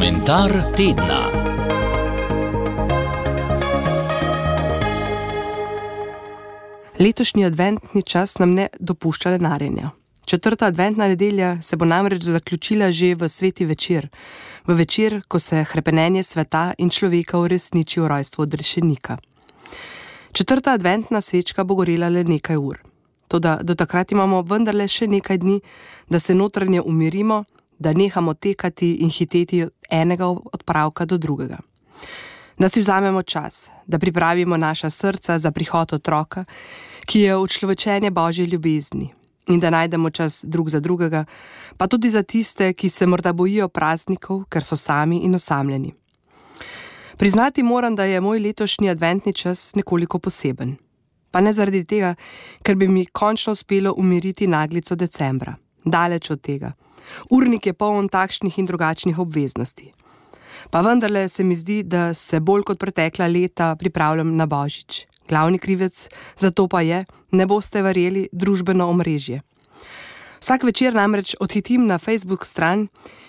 Komentar tedna. Letošnji adventni čas nam ne dopušča lenarjenja. 4. adventna nedelja se bo namreč zaključila že v sveti večer, v večer, ko se hrepenenje sveta in človeka uresniči v rojstvu odrešenika. 4. adventna svečka bo gorela le nekaj ur. Toda do takrat imamo vendarle še nekaj dni, da se notranje umirimo, da nehamo tekati in hiteti od enega odpravka do drugega. Da si vzamemo čas, da pripravimo naša srca za prihod otroka, ki je učlovečenje Božje ljubezni, in da najdemo čas drug za drugega, pa tudi za tiste, ki se morda bojijo praznikov, ker so sami in osamljeni. Priznati moram, da je moj letošnji adventni čas nekoliko poseben. Pa ne zaradi tega, ker bi mi končno uspelo umiriti naglico decembra. Daleč od tega. Urnik je poln takšnih in drugačnih obveznosti. Pa vendarle se mi zdi, da se bolj kot pretekla leta pripravljam na Božič. Glavni krivec za to pa je, ne boste verjeli, družbeno omrežje. Vsak večer namreč odhitim na Facebook stran,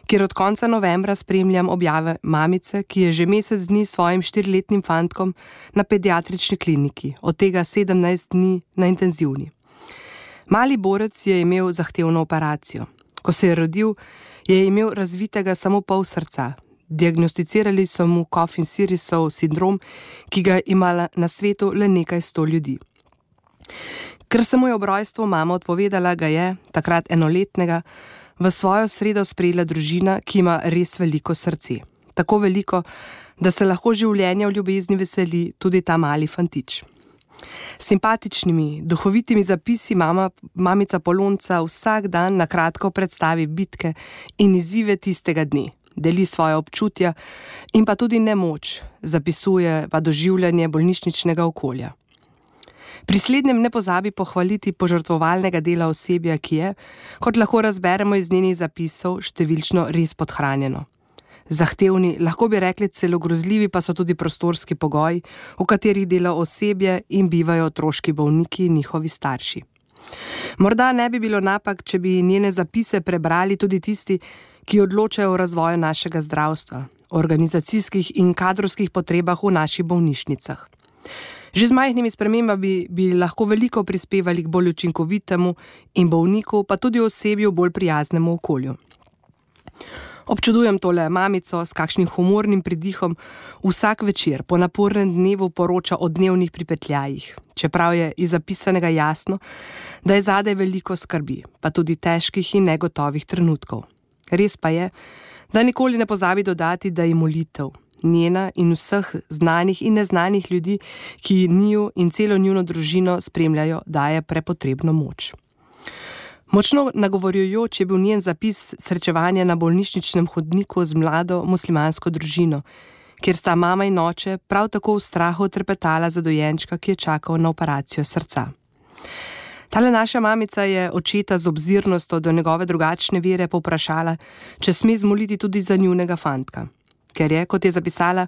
kjer od konca novembra spremljam objave mamice, ki je že mesec dni s svojim 4-letnim fantkom na pediatrični kliniki, od tega 17 dni na intenzivni. Mali borec je imel zahtevno operacijo. Ko se je rodil, je imel razvitega samo pol srca. Diagnosticirali so mu Coffin-Sirisov sindrom, ki ga ima na svetu le nekaj 100 ljudi. Ker se mu je ob rojstvu mama odpovedala, ga je, takrat enoletnega, v svojo sredo sprejela družina, ki ima res veliko srce. Tako veliko, da se lahko življenja v ljubezni veseli tudi ta mali fantič. Simpatičnimi, duhovitimi zapisi mamica Polonca vsak dan na kratko predstavi bitke in izzive tistega dne, deli svoje občutja in pa tudi nemoč, zapisuje pa doživljanje bolnišničnega okolja. Pri slednjem ne pozabi pohvaliti požrtvovalnega dela osebja, ki je, kot lahko razberemo iz njenih zapisov, številčno res podhranjeno. Zahtevni, lahko bi rekli celo grozljivi pa so tudi prostorski pogoji, v katerih dela osebje in bivajo otroški bolniki in njihovi starši. Morda ne bi bilo napak, če bi njene zapise prebrali tudi tisti, ki odločajo o razvoju našega zdravstva, o organizacijskih in kadrovskih potrebah v naših bolnišnicah. Že z majhnimi spremembami bi lahko veliko prispevali k bolj učinkovitemu in bolniku, pa tudi osebju bolj prijaznemu okolju. Občudujem tole mamico s kakšnim humornim pridihom vsak večer po napornem dnevu poroča o dnevnih pripetljajih, čeprav je iz zapisanega jasno, da je zadaj veliko skrbi, pa tudi težkih in negotovih trenutkov. Res pa je, da nikoli ne pozabi dodati, da je molitev, njena in vseh znanih in neznanih ljudi, ki njiju in celo njuno družino spremljajo, daje prepotrebno moč. Močno nagovorjujoč je bil njen zapis srečevanja na bolnišničnem hodniku z mlado muslimansko družino, kjer sta mama in oče prav tako v strahu trepetala za dojenčka, ki je čakal na operacijo srca. Tale naša mamica je očeta z obzirnostjo do njegove drugačne vere povprašala, če sme zmoliti tudi za njunega fantka, ker je, kot je zapisala,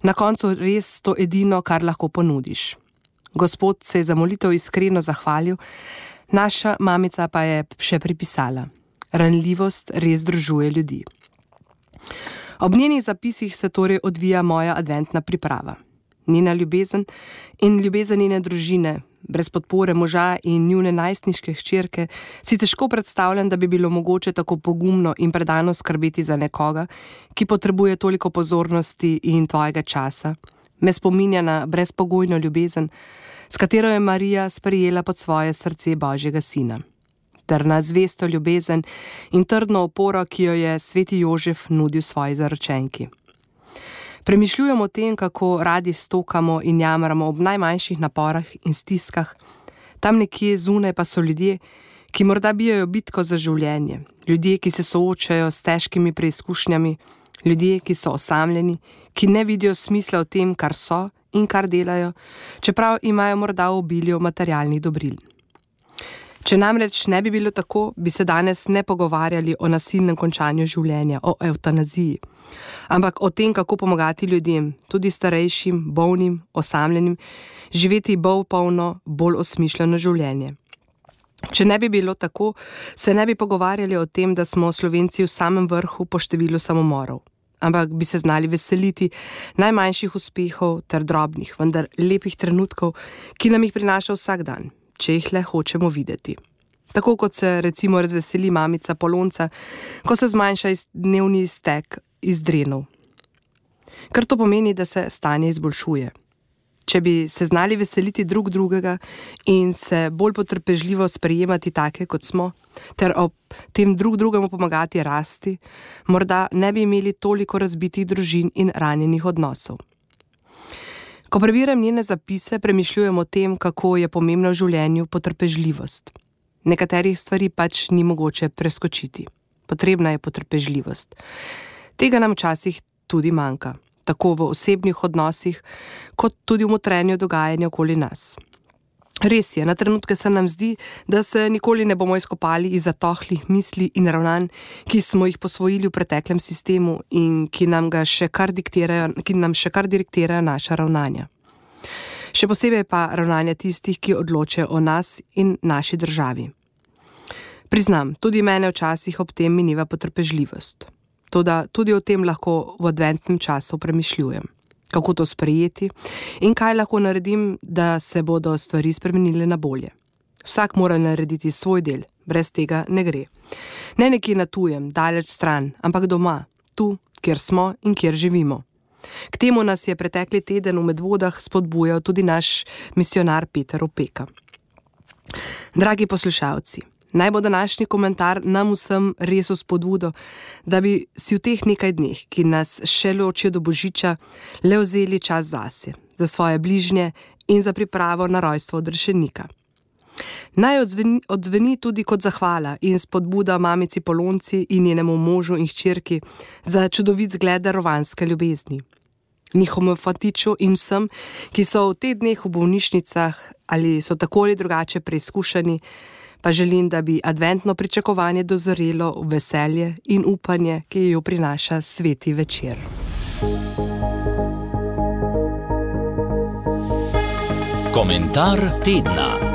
na koncu res to edino, kar lahko ponudiš. Gospod se je za molitev iskreno zahvalil, naša mamica pa je še pripisala: ranljivost res združuje ljudi. Ob njenih zapisih se torej odvija moja adventna priprava. Njena ljubezen in ljubezen njene družine, brez podpore moža in njune najstniške hčerke, si težko predstavljam, da bi bilo mogoče tako pogumno in predano skrbeti za nekoga, ki potrebuje toliko pozornosti in tvojega časa. Me spominja na brezpogojno ljubezen, s katero je Marija sprejela pod svoje srce Božjega sina, ter na zvesto ljubezen in trdno oporo, ki jo je sveti Jožef nudil svoji zaročenki. Premišljujem o tem, kako radi stokamo in jamramo ob najmanjših naporah in stiskah. Tam nekje zunaj pa so ljudje, ki morda bijajo bitko za življenje, ljudje, ki se soočajo s težkimi preizkušnjami, ljudje, ki so osamljeni, ki ne vidijo smisla v tem, kar so in kar delajo, čeprav imajo morda v obilju materialnih dobril. Če namreč ne bi bilo tako, bi se danes ne pogovarjali o nasilnem končanju življenja, o evtanaziji, ampak o tem, kako pomagati ljudem, tudi starejšim, bolnim, osamljenim, živeti bolj polno, bolj osmišljeno življenje. Če ne bi bilo tako, se ne bi pogovarjali o tem, da smo Slovenci v samem vrhu po številu samomorov. ampak bi se znali veseliti najmanjših uspehov ter drobnih, vendar lepih trenutkov, ki nam jih prinaša vsak dan, če jih le hočemo videti. Tako kot se recimo razveseli mamica Polonca, ko se zmanjša dnevni iztek iz drenov. Ker to pomeni, da se stanje izboljšuje. Če bi se znali veseliti drug drugega in se bolj potrpežljivo sprejemati take, kot smo, ter ob tem drug drugemu pomagati rasti, morda ne bi imeli toliko razbitih družin in ranjenih odnosov. Ko prebiram njene zapise, premišljujem o tem, kako je pomembna v življenju potrpežljivost. Nekaterih stvari pač ni mogoče preskočiti. Potrebna je potrpežljivost. Tega nam včasih tudi manjka. Tako v osebnih odnosih, kot tudi v notranjem dogajanju okoli nas. Res je, na trenutke se nam zdi, da se nikoli ne bomo izkopali iz zatohlih misli in ravnanj, ki smo jih posvojili v preteklem sistemu in ki nam še kar diktirajo naša ravnanja. Še posebej pa ravnanja tistih, ki odločajo o nas in naši državi. Priznam, tudi mene včasih ob tem mineva potrpežljivost. Toda tudi o tem lahko v adventnem času premišljujem. Kako to sprejeti in kaj lahko naredim, da se bodo stvari spremenile na bolje. Vsak mora narediti svoj del, brez tega ne gre. Ne nekje na tujem, daleč stran, ampak doma, tu, kjer smo in kjer živimo. K temu nas je pretekli teden v Medvodah spodbujal tudi naš misijonar Peter Opeka. Dragi poslušalci, naj bo današnji komentar nam vsem res vzpodbudo, da bi si v teh nekaj dneh, ki nas še ločijo do Božiča, le vzeli čas zase, za svoje bližnje in za pripravo na rojstvo odrešenika. Naj odzveni tudi kot zahvala in spodbuda mamici Polonci in njenemu možu in hčerki za čudovit zgled darovanske ljubezni. Njihovemu fatiču in vsem, ki so v teh dneh v bolnišnicah ali so tako ali drugače preizkušeni, pa želim, da bi adventno pričakovanje dozorelo v veselje in upanje, ki jo prinaša sveti večer. Komentar tedna.